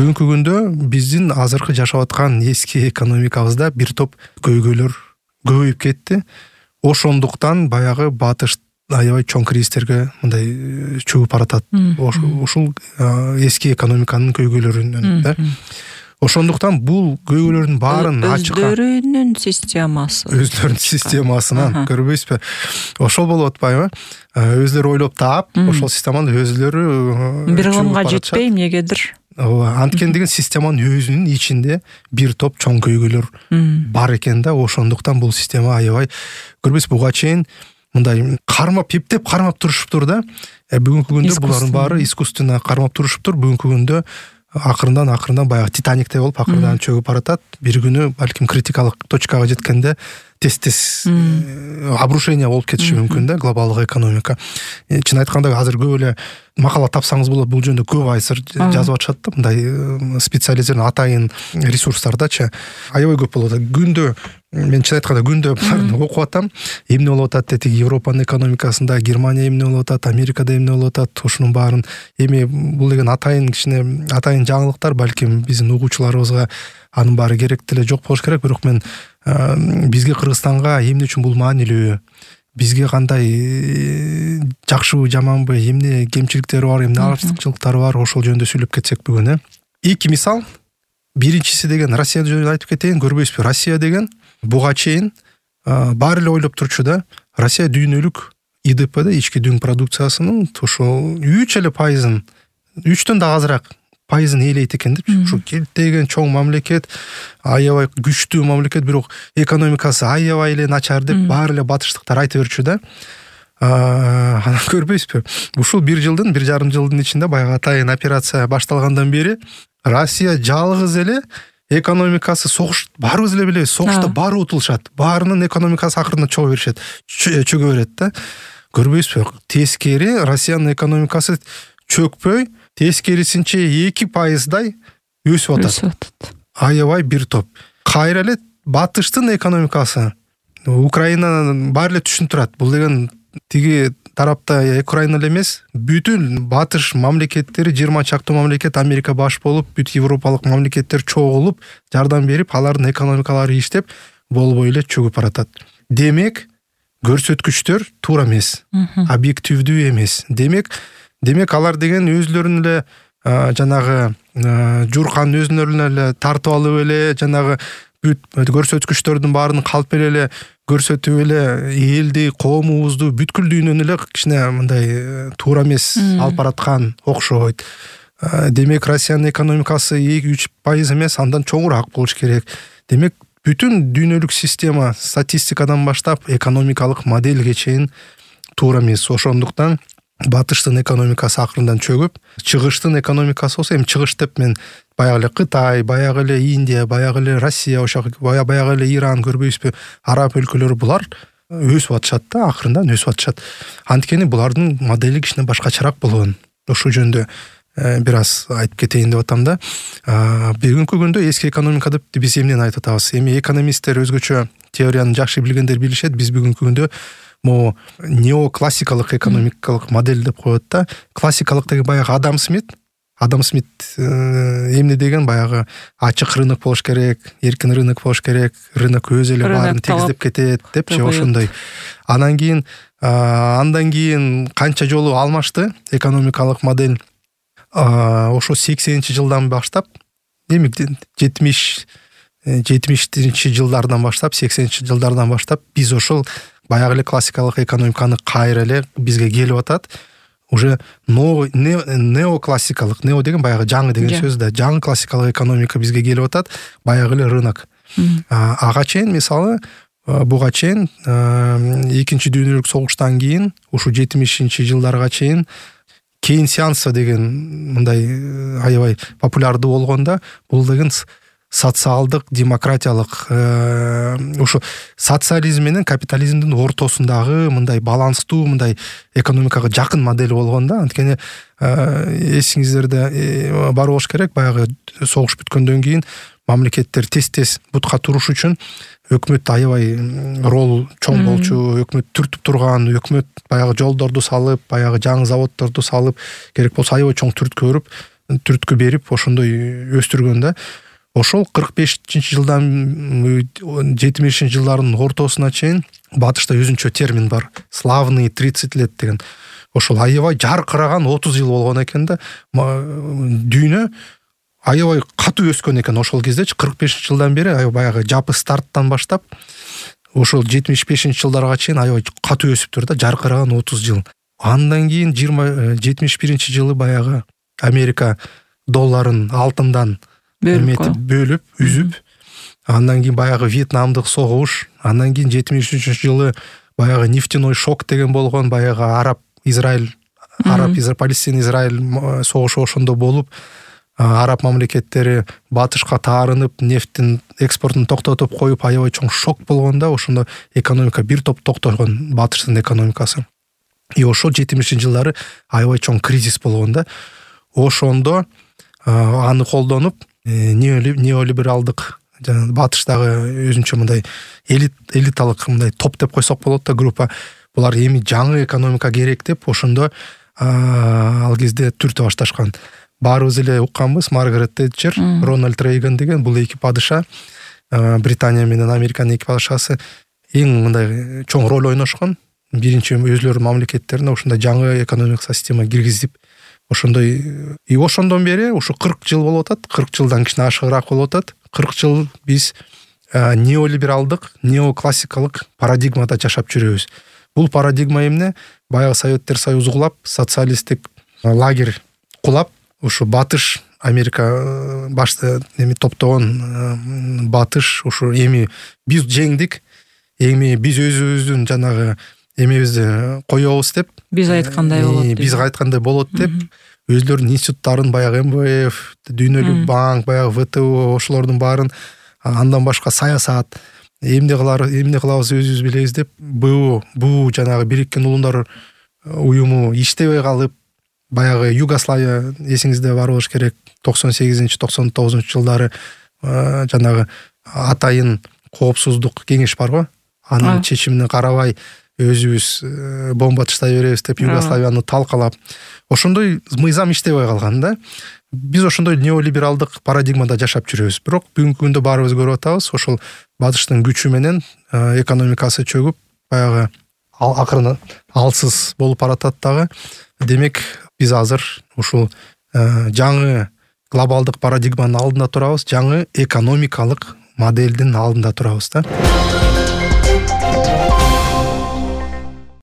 Бүгүнкү күндө биздин азыркы жашап аткан эски экономикабызда бир топ көйгөйлөр көбөйүп кетти. Ошондуктан баягы батыш аябай чоң кризистерге мындай чөгүп баратат. Ушул эски экономиканын көйгөйлөрүнөн да. Ошондуктан бул көйгөйлөрдүн баарын ачыкка өздөрүнүн системасынан көрбөйсүзбү? Ошол болуп атпайбы? Өзлөрү ойлоп таап, ошол системаны өзлөрү бир комга жетпей эмнегедир. Анткени системанын өзүнүн ичинде бир топ чоң көйгөйлөр бар экен да. Ошондуктан бул система аябай көрбөйсүзбү, буга чейин мындай эптеп кармап турушуптур да. Бүгүнкү күндө булардын баары искусственно кармап турушуптур. Бүгүнкү күндө акырындан баягы Титаниктей болуп акырындан чөгүп баратат. Бир күнү балким критикалык точкага жеткенде тез обрушение болуп кетиши мүмкүн да глобалдык экономика. Чын айтканда азыр көп эле макала тапсаңыз болот, бул жөнүндө көп айсыр жазып атышат да, мындай специализированный атайын ресурстардачы аябай көп болот. Күндө мен чын айтканда күндө буларды окуп атам. Эмне болуп атат деди, Европанын экономикасында, Германия эмне болуп атат, Америкада эмне болуп атат, ушунун баарын эми бул деген атайын жаңылыктар, балким биздин угуучуларыбызга анын баары керек деле жок болуш керек. Бирок мен бизге Кыргызстанга эмне үчүн бул маанилүү, бизге кандай жакшыбы жаманбы, эмне кемчиликтери бар, эмне артыкчылыктары бар, ошол жөнүндө сүйлөп кетсек бүгүн. Эки мисал. Биринчиси деген Россия жөнүндө айтып кетейин. Көрбөйсүзбү, Россия деген буга чейин баары эле ойлоп турчу да. Россия дүйнөлүк ИДПде, ички дүң продукциясынын ошол 3%, 3төн да азыраак пайызын ээлейт экен деп. Ушу келтеген чоң мамлекет, аябай күчтүү мамлекет, бирок экономикасы аябай эле начар деп баары эле батыштыктар айта берчү да. Анан көрбөйсүзбү, ушул 1,5 жылдын ичинде баягы атайын операция башталгандан бери Россия жалгыз эле экономикасы баарыбыз эле билебиз, согушта баары утулушат. Баарынын экономикасы акырында чөгө берет да. Көрбөйсүзбү, тескери Россиянын экономикасы чөкпөй, тескерисинче 2%дай өсүп атат. Аябай бир топ. Кайра эле батыштын экономикасы, Украинанын баары эле түшүнүп турат. Бул деген тиги тарапта Украина эле эмес, бүтүн батыш мамлекеттери, 20 чактуу мамлекет Америка баш болуп, бүт европалык мамлекеттер чогулуп, жардам берип, алардын экономикалары иштеп, болбой эле чөгүп баратат. Демек, көрсөткүчтөр туура эмес, объективдүү эмес. Демек алар деген өзлөрүн эле жанагы журкан өзүнөрүн эле тартып алып эле, жанагы бүт көрсөткүчтөрдүн баарын калп эле көрсөтүп эле элди, коомубузду, бүткүл дүйнөнү эле кичине мындай туура эмес алып бараткан окшойт. Демек Россиянын экономикасы 2-3% эмес, андан чоңураак болуш керек. Демек бүтүн дүйнөлүк система, статистикадан баштап экономикалык моделге чейин туура эмес. Ошондуктан батыштын экономикасы акырындан чөгүп, чыгыштын экономикасы болсо, эми чыгыш деп мен баягы эле Кытай, баягы эле Индия, баягы эле Россия, баягы эле Иран, көрбөйсүзбү, араб өлкөлөрү булар өсүп атышат да, акырындан өсүп атышат. Анткени булардын модели кичине башкачараак болгон. Ошол жөнүндө бир аз айтып кетейин деп атам да. Бүгүнкү күндө эски экономика деп биз эмнени айтып атабыз? Эми экономисттер өзгөчө теорияны жакшы билгендер билишет. Биз бүгүнкү күндө могу неоклассикалык экономикалык модель деп коет да. Классикалык деген баягы Адам Смит эмне деген, баягы ачык рынок болуш керек, эркин рынок болуш керек, рынок өзү эле баарын тегиздеп кетет депчи, ошондой. Андан кийин канча жолу алмашты экономикалык модель. Ошо 80-жылдан баштап, эми 70-чи жылдардан баштап, 80-жылдардан баштап биз ошол баягы эле классикалык экономиканы кайра эле бизге келип атат. Уже неоклассикалык, нео деген баягы жаңы деген сөз да. Жаңы классикалык экономика бизге келип атат, баягы эле рынок. Ага чейин, мисалы, буга чейин Экинчи дүйнөлүк согуштан кийин, ушу 70-чи жылдарга чейин кейнсианство деген мындай аябай популярдуу болгондо, бул деген социалдык, демократиялык, ушу социализм менен капитализмдин ортосундагы мындай баланстуу, мындай экономикага жакын модель болгон да. Анткени эсиңиздерде бар болуш керек, баягы согуш бүткөндөн кийин мамлекеттер тез бутка туруш үчүн өкмөт аябай рол чоң болчу, өкмөт түртүп турган, өкмөт баягы жолдорду салып, баягы жаңы заводдорду салып, керек болсо аябай чоң түрткө өрүп, түрткү берип ошондой өстүргөн да. Ошол 45-жылдан 70-жылдардын ортосуна чейин батышта өзүнчө термин бар. Славный 30 лет деген. Ошол аябай жаркыраган 30 жыл болгон экен да. Дүйнө аябай катуу өскөн экен ошол кездечи. 45-жылдан бери баягы жапы старттан баштап ошол 75-жылдарга чейин аябай катуу өсүптүр да, жаркыраган 30 жыл. Андан кийин 71-жылы баягы Америка долларын алтындан бөлүп, үзүп, андан кийин баягы Вьетнамдык согуш, андан кийин 73-жылы баягы нефтяной шок деген болгон, баягы Араб-Израиль, Палестина-Израиль согушу ошондо болуп, араб мамлекеттери батышка таарынып, нефтин экспортун токтотуп коюп, аябай чоң шок болгон да, ошондо экономика бир топ токтогон, батыштын экономикасы. И ошол 70-жылдары аябай чоң кризис болгон да. Ошондо аны колдонуп, неолибералдык батыштагы өзүнчө мындай элиталык мындай топ деп койсок болот да, группа, булар эми жаңы экономика керек деп ошондо ал кезде түртө башташкан. Баарыбыз эле укканбыз, Маргарет Тэтчер, Рональд Рейган деген бул эки падыша, Британия менен Американын эки падышасы эң мындай чоң роль ойношкон. Биринчи өзлөрүнүн мамлекеттерине ошондой жаңы экономик система киргизип, ошондой ошондон бери ушу 40 жыл болуп атат, 40 жылдан кичине ашыгыраак болуп атат. 40 жыл биз неолибералдык, неоклассикалык парадигмада жашап жүрөбүз. Бул парадигма эмне? Баягы Советтер Союзу кулап, социалисттик лагерь кулап, ушу батыш Америка башта топтогон батыш ушу эми биз жеңдик, эми биз өзүбүздүн жанагы эмебизди коебуз деп, биз айткандай болот, биз айткандай болот деп, өзлөрүнүн институттарын, баягы МВФ, Дүйнөлүк банк, баягы ВТО ошолордун баарын, андан башка саясат, эмне кылабыз өзүбүз билебиз деп, бул жанагы Бириккен Улуудар уюму иштебей калып, баягы Югославия эсиңизде бар болуш керек, 98-99 жылдары жанагы атайын коопсуздук кеңеш бар го, анын чечимине карабай өзүбүз бомба тыштай беребиз деп Югославияны талкалап, ошондой мыйзам иштебей калган да. Биз ошондой неолибералдык парадигмада жашап жүрөбүз. Бирок бүгүнкү күндө баарыбыз көрүп атабыз, ошол батыштын күчү менен экономикасы чөгүп, баягы акырын алсыз болуп баратат дагы. Демек, биз азыр ушул жаңы глобалдык парадигманын алдында турабыз, жаңы экономикалык моделдин алдында турабыз да.